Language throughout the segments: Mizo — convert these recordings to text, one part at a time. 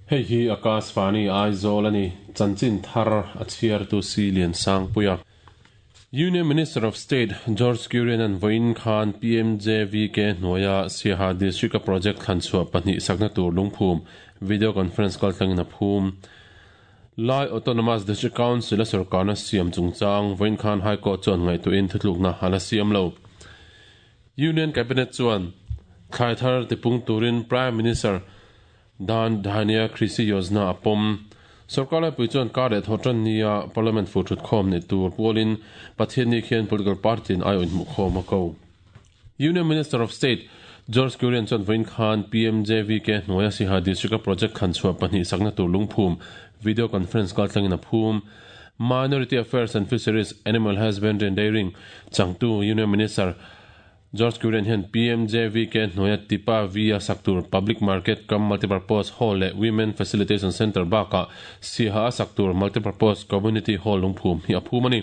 Hei hi Akashvani Aizawl a ni, chanchin thar a chhiartu Si Liansangpuia. Union Minister of State George Kurian-a'n vawiin khan PMJVK hnuaia Siaha District-a project thlanchhuah pahnih sakna tur lungphum video conference kaltlangin a phum. Lai Autonomous District Council-a sorkarna siam chungchang vawiin khan High Court chuan ngaihtuahin thutlukna a la siam lo. Union Cabinet chuan thlai thar tipung turin Prime Minister Dan Dhanya Krishi Yojana a pawm. Sorkar laipui chuan kar leh thaw tan nia Parliament fu thutkhawm neih tur pualin Pathianni khian political party-in aiawh inhmuhkhawm a ko. Union Minister of State George Kurian chuan vawiin khan PMJVK hnuaia Siha District-a project thlanchhuah pahnih sakna tur lungphum video conference kaltlangin a phum. Minority Affairs and Fisheries, Animal Husbandry and Dairying changtu Union Minister George Kurian hian PMJVK hnuaia Tipa V-a sak tur Public Market cum Multipurpose Hall leh Women Facilitation Centre bakah Siaha a sak tur Multipurpose Community Hall lungphum hi a phum a ni.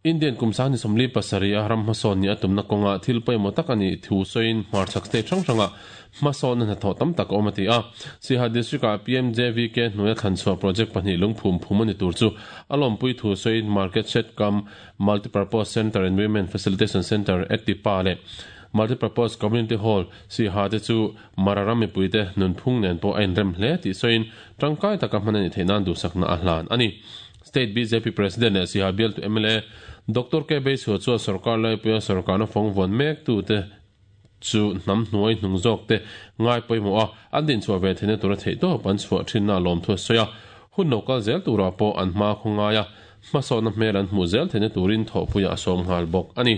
Indian kum sang ni 47 a ram hmasawn nih a tumna kawnga thil pawimawh tak a nih thu sawiin hmarchhak state hrang hrangah hmasawnna hnathawh tam tak a awm a ti a. Siaha District-ah PMJVK hnuaia thlanchhuah project pahnih lungphum phum a ni tur chu a lawmpui thu sawiin Market Shed cum Multipurpose Centre and Women Facilitation Centre at Tipa leh Multipurpose Community Hall Siaha te chu Mara ram mipuite nunphung nen pawh a inrem hle tih sawiin tangkai taka hman a nih theih nan duhsakna a hlan a ni. State bjp President leh Siaha bialtu mla Doctor K Beisua chuan sorkar laipuia sorkarna fawng vuan mektute chu hnam hnuai hnung zawkte ngai pawimawh a, an dinchhuah ve theihna tura theihtawp an chhuah thinna a lawmthu a sawi a. Hun lo kal zel turah pawh an hma khaw ngai a, hmasawnna hmel an hmuh zel theihna turin thawhpuiah a sawm nghal bawk a ni.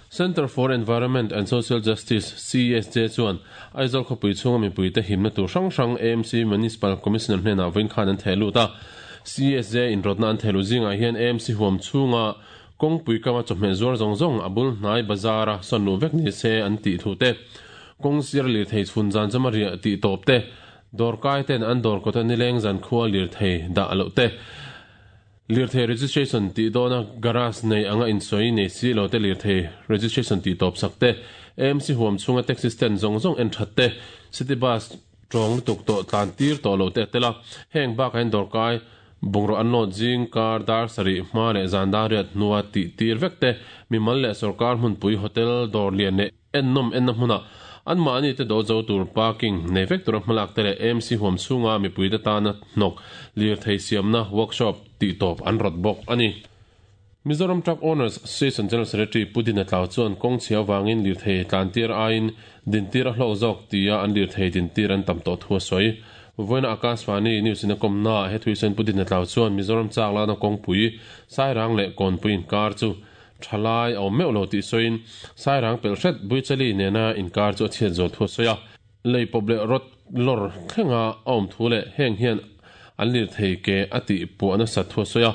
Centre for Environment and Social Justice, CESJ, chuan Aizawl khawpui chhunga mipuite himna tur hrang hrang AMC Municipal Commissioner hnenah vawiin khan an theh lut a. CESJ inrawtna an theh luh zingah hian AMC huam chhunga kawngpui kama chawhmeh zuar zawng zawng a bul hnai bazar-a sawn luh vek ni se an tih thu te, kawng sir lirthei chhun zan chama riah tih tawp te, dawrkai ten an dawr kawta nileng zan khua lirthei dah loh te, Lirthei registration tih dawna garage nei anga insawi nei si lo te lirthei registration tih tawp sak te, AMC huam chhunga taxi stand zawng zawng en that te, city bus tawng lutuk tawh tlan tir tawh lo te a tel a. Heng bakah hian dawrkai bungraw an load zing kar dar sarih hma leh zan dar riat hnua tih tir vek te, mimal leh sorkar hmunpui hotel dawr lian leh Ennawm enna hmunah anmahni te do zo tur parking nei vek tura hmalak te leh AMC huam chhunga mipuite tana hnawk lirthei siamna workshop tih tawp an rawt bawk a ni. Mizoram Truck Owners Association General Secretary Pu Dina Tlau chuan kawng chhia avangin lirthei tlantir aiin dintir a hlawk zawk tia an lirthei dintir an tam tawh thu a sawi. Vawiina Akashvani News in a kawmnaah he thuisen Pu Dina Tlau chuan Mizoram chak lana kawngpui Sairang leh Kawnpui inkar chu Thalai a awm meuh lo tih sawiin Sairang pelh hret Buichali nena inkar chu a chhiat zual thu a sawi a. Lei pawp leh rawt lawr thlenga a awm thu leh heng hian an lirthei ke a tih puah nasat thu a sawi a.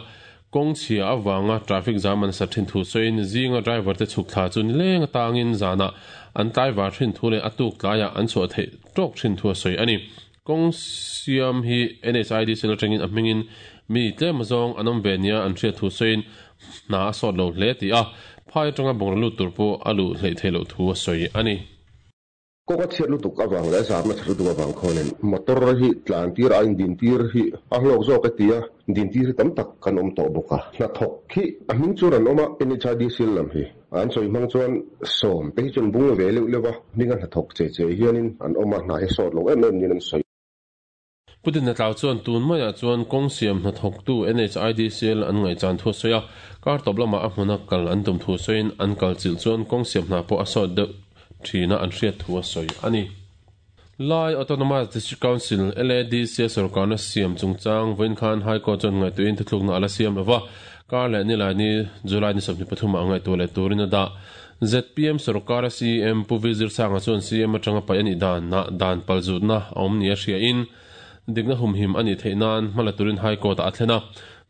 Kawng chhia avanga traffic jam a nasat thin thu sawiin zinga driver te chhuk thla chu nileng atangin zanah an tlaivar thin thu leh a tuk tlaiah an chhuah theih tawk thin thu a sawi a ni. Kawng siam hi NHIDC atangin a hmingin mi tlem azawng an awm ve nia an hriat thu sawiin hna a sawt lo hle tih a, phai atanga bungraw lut tur pawh a luh hleih theih loh thu a sawi a ni. Kawng a chhiat lutuk avang leh a zahna that lutuk avang khuanin motor hi tlan tir aiin din tir hi a hlawk zawk e tia din tir hi tam tak kan awm tawh bawk a. Hnathawk hi a hming chuan an awm a, NHIDC lam hi An sawi hmang chuan sawm te hi chuan bung ve leuh leuh a, hminga hnathawk che che hianin an awm a, hna hi sawt lo em em niin an sawi. Pu Dinatlau chuan tun maiah chuan kawng siam hnathawktu NHIDCL an ngaihchan thu a sawi a, kar tawp lamah a hmuna kal an tum thu sawiin an kal chilh chuan kawng siam hna pawh a sawt deuh thina an hriat thu a sawi a ni. Lai Autonomous District Council, LADC, a sorkarna siam chungchang vawiin khan High Court chuan ngaihtuahin thuthlukna a la siam lova, kar leh Nilaini, July ni 23 ah ngaihtuah leh turin a dah. Zpm sorkara CEM Pu V Zirsanga chuan CEM atanga paih a nih danah dan palzutna a awm nia hriain dikna humhim a nih theih nan hma la turin High Court-ah a thlen a.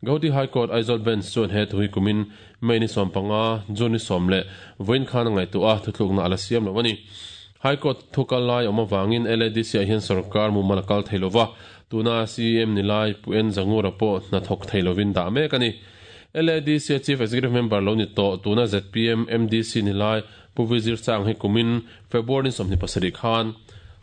Gauhati High Court Aizawl Bench chuan he thu hi kumin May ni 15, June ni 10 leh vawiin khan a ngaihtuah a, thuthlukna a la siam lo a ni. High Court thu kal lai awm avangin LADC-ah hian sorkar mumal a kal thei lo va, tuna CEM ni lai Pu N Zangura pawh hna thawk thei lovin dah mek a ni. LADC-a Chief Executive Member lo ni tawh, tuna zpm MDC ni lai Pu Vizir Chang hi kumin February ni 27 khan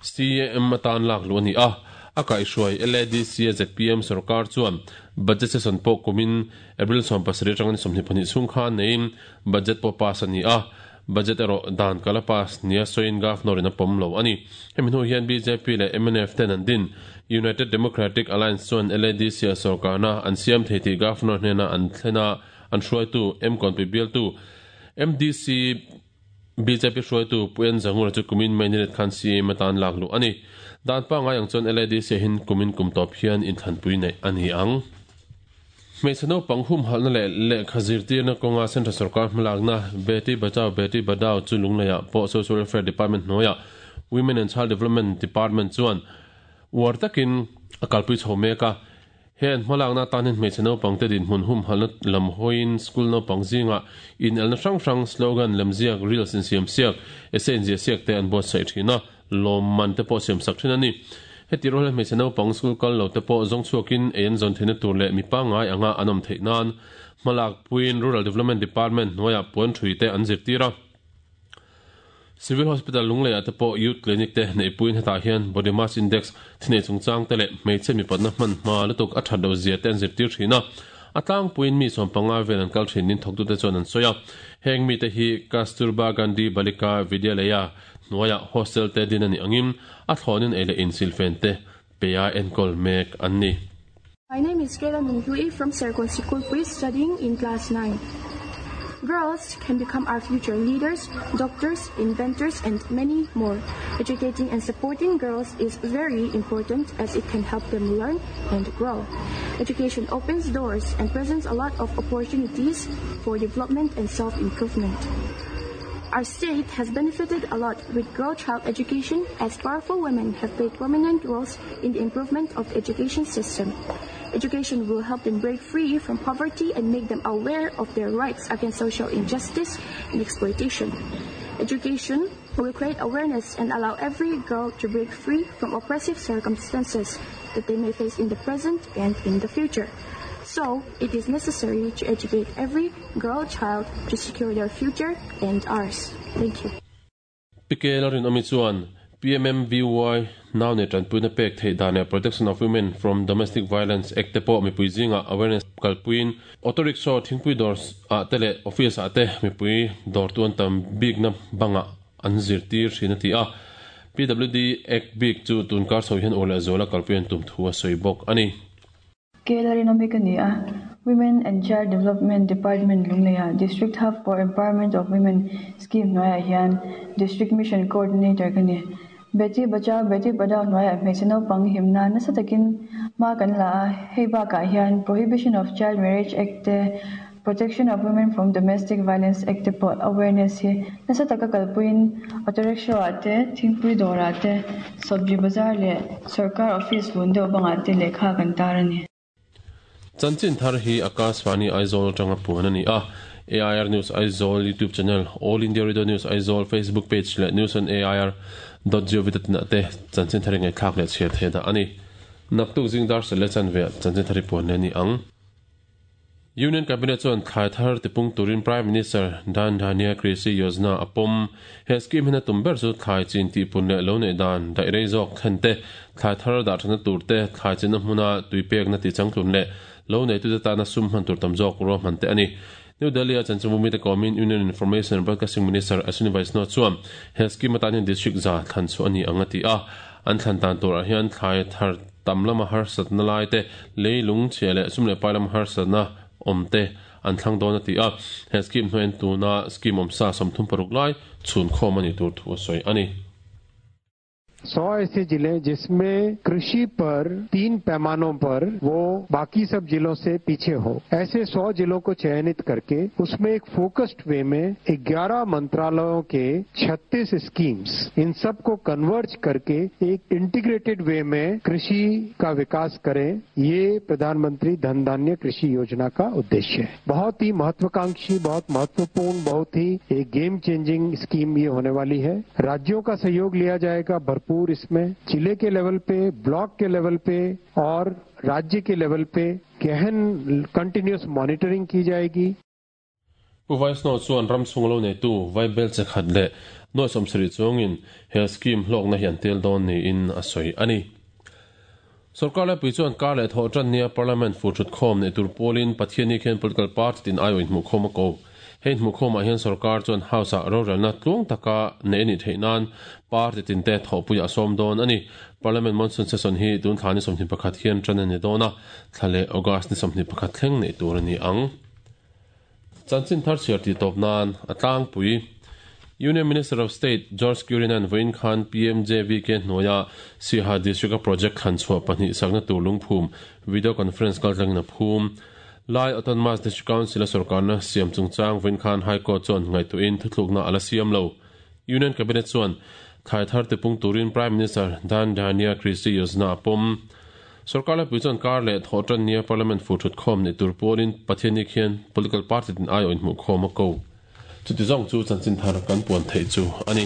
CEM atan lak luh a ni a. A kaihhruai LADC a zpm sorkar chuan budget session pawh kumin April 17 atanga ni 22 chhung khan neiin budget pawh pass a ni a, budget erawh dan kal a pass nia sawiin Governor in a pawm lo a ni. Hemi hnu hian bjp leh mnf ten an din United Democratic Alliance chuan LADC a sorkarna an siam thei tih Governor hnena an thlen a, an hruaitu Mkawnpui bialtu MDC Bjp hruaitu Pu En Zangura chu kumin May ni let khan CM atan lak luh a ni. Dan pangngai ang chuan LADC ah hin kumin kum tawp hian inthlanpui neih a ni ang. Hmeichhe naupang humhalhna leh lehkha zirtirna kawnga Central Sorkar hmalakna Beti Bachao Beti Padhao chu Lungleiah pawh Social Welfare Department hnuaiah Women and Child Development Department chuan uar takin a kalpui chho mek a. He an hmalakna atan hian hmeichhe naupangte dinhmun humhalhna lam hawiin school naupang zingah inelna hrang hrang, slogan, lemziak, reels insiamsiak, essay inziahsiak te an buatsaih thin a, lawmman te pawh siamsak thin a ni. Heti rual hian hmeichhe naupang school kal lo te pawh zawng chhuakin ei an zawn theihna tur leh mi pangngai anga an awm theih nan hmalakpuiin Rural Development Department hnuaiah puan ṭhui te an zirtir a. Civil Hospital Lungleiah te pawh Youth Clinic te neihpuiin hetah hian Body Mass Index, thinei chungchang te leh hmeichhe mipatna hman hma lutuk a that loh zia te an zirtir thin a. A tlangpuiin mi 15 vel an kal thin nin thawktute chuan an sawi a. Heng mite hi Kasturba Gandhi Balika Vidyalaya hnuaiah hostel te din a nih angin a thlawnin ei leh insilfen te peia enkawl mek an ni. My name is Kayla Nunghlui from Serkawn Sikulpui studying in class 9. Girls can become our future leaders, doctors, inventors and many more. Educating and supporting girls is very important as it can help them learn and grow. Education opens doors and presents a lot of opportunities for development and self-improvement. Our state has benefited a lot with girl child education as powerful women have played prominent roles in the improvement of the education system. Education will help them break free from poverty and make them aware of their rights against social injustice and exploitation. Education will create awareness and allow every girl to break free from oppressive circumstances that they may face in the present and in the future. So, it is necessary to educate every girl child to secure their future and ours. Thank you. Pike Lalrinawmi chuan PMMVY nau nei tanpuina pek theih dan leh Protection of Women from Domestic Violence Act te pawh mipui zingah awareness kalpuiin auto rickshaw thingpui dawr ah te leh office ah te mipui dawrtu an tam bikna bangah an zirtir thin a ti a. PWD Act bik chu tunkar chho hian ur leh zuala kalpui an tum thu a sawi bawk a ni. Kelarinawmi ka ni a, Women and Child Development Department Lungleiah District Hub for Empowerment of Women Scheme hnuaiah hian District Mission Coordinator ka ni. Beti Bachao Beti Padhao hnuaiah hmeichhe naupang himna nasa takin hma kan la a, hei bakah hian Prohibition of Child Marriage Act te, Protection of Women from Domestic Violence Act te pawh awareness hi nasa taka kalpuiin auto rickshaw ah te, thingpui dawrah te, sabji bazar leh sorkar office lun deuh bangah te lehkha kan tar a ni. Chanchin thar hi Akashvani Aizawl atanga puan a ni a, AIR News Aizawl YouTube channel, All India Radio News Aizawl Facebook page leh News on AIR dot gov dot in ah te chanchin thar hi ngaihthlak leh chhiar theih dah a ni. Naktuk zing dar sel leh chanve ah chanchin thar hi puan leh a ni ang. Union Cabinet chuan thlai thar tipung turin Prime Minister Dhan Dhanya Krishi Yojana a pawm. He scheme hian a tum ber chu thlai chin tihpun leh lo neih dan daih rei zawk thlen te, thlai thar dah thatna tur te, thlai chinna hmuna tui pekna tihchangtlun leh lo neitute tana sum hman tur tam zawk ruahman te a ni. New Delhi-a chanchinbu mite kawmin Union Information and Broadcasting Minister Ashwini Vaishnaw chuan he scheme atan hian district za thlan chhuah a ni ang a ti a. An thlan dan turah hian thlai thar tam lama harsatna lai te, leilung chhia leh sum leh pai lama harsatna awm te an thlang dawn a ti a. He scheme hnuaiin tuna scheme awmsa 36 lai chhunkhawm a nih tur thu a sawi a ni. 100 ऐसे जिले जिसमें कृषि पर तीन पैमानों पर वो बाकी सब जिलों से पीछे हो ऐसे 100 जिलों को चयनित करके उसमें एक फोकस्ड वे में 11 मंत्रालयों के 36 स्कीम्स इन सब को कन्वर्ज करके एक इंटीग्रेटेड वे में कृषि का विकास करें ये प्रधानमंत्री धन धान्य कृषि योजना का उद्देश्य है बहुत ही महत्वाकांक्षी बहुत महत्वपूर्ण बहुत ही एक game changing scheme ये होने वाली है राज्यों का सहयोग लिया जाएगा भरपूर इसमें जिले के लेवल पे ब्लॉक के लेवल पे और राज्य के लेवल पे गहन कंटिन्यूअस मॉनिटरिंग की जाएगी Pu Vaishnaw chuan ram chhung lo neitu Vaibel che khat leh nuai 70 chuangin he scheme hlawkna hi an tel dawn niin a sawi a ni. Sorkar laipui chuan kar leh thawh tan nia Parliament fur thut khawm neih tur pawlin Pathianni khian political party tin aiawh inhmuhkhawm a ko. Hei inhmuhkhawmah hian sorkar chuan House-ah rorelna tluang taka neih a nih theih nan party tinte thawhpuiah a sawm dawn a ni. Parliament monsoon session hi tun thla ni 21 hian tan a ni dawn a, thla leh August ni 21 thleng neih tur a ni ang. Chanchin thar chhiar tih tawp nan a tlangpui. Union Minister of State George Kurian-a'n vawiin khan PMJVK hnuaia Siaha District-a project thlan chhuah pahnih sakna tur lungphum video conference kaltlangin a phum. Lai Autonomous District Council-a sorkarna siam chungchang vawiin khan High Court chuan ngaihtuahin thuthlukna a la siam lo. Union Cabinet chuan thlai thar tipung turin Prime Minister Dhan Dhanya Krishi Yojana a pawm. Sorkar laipui chuan kar leh thawh tan nia Parliament fur thut khawm neih tur pawlin Pathianni khian political party tin aiawh inhmuh khawm a ko. Chuti zawng chu chanchin thar kan puan theih chu a ni.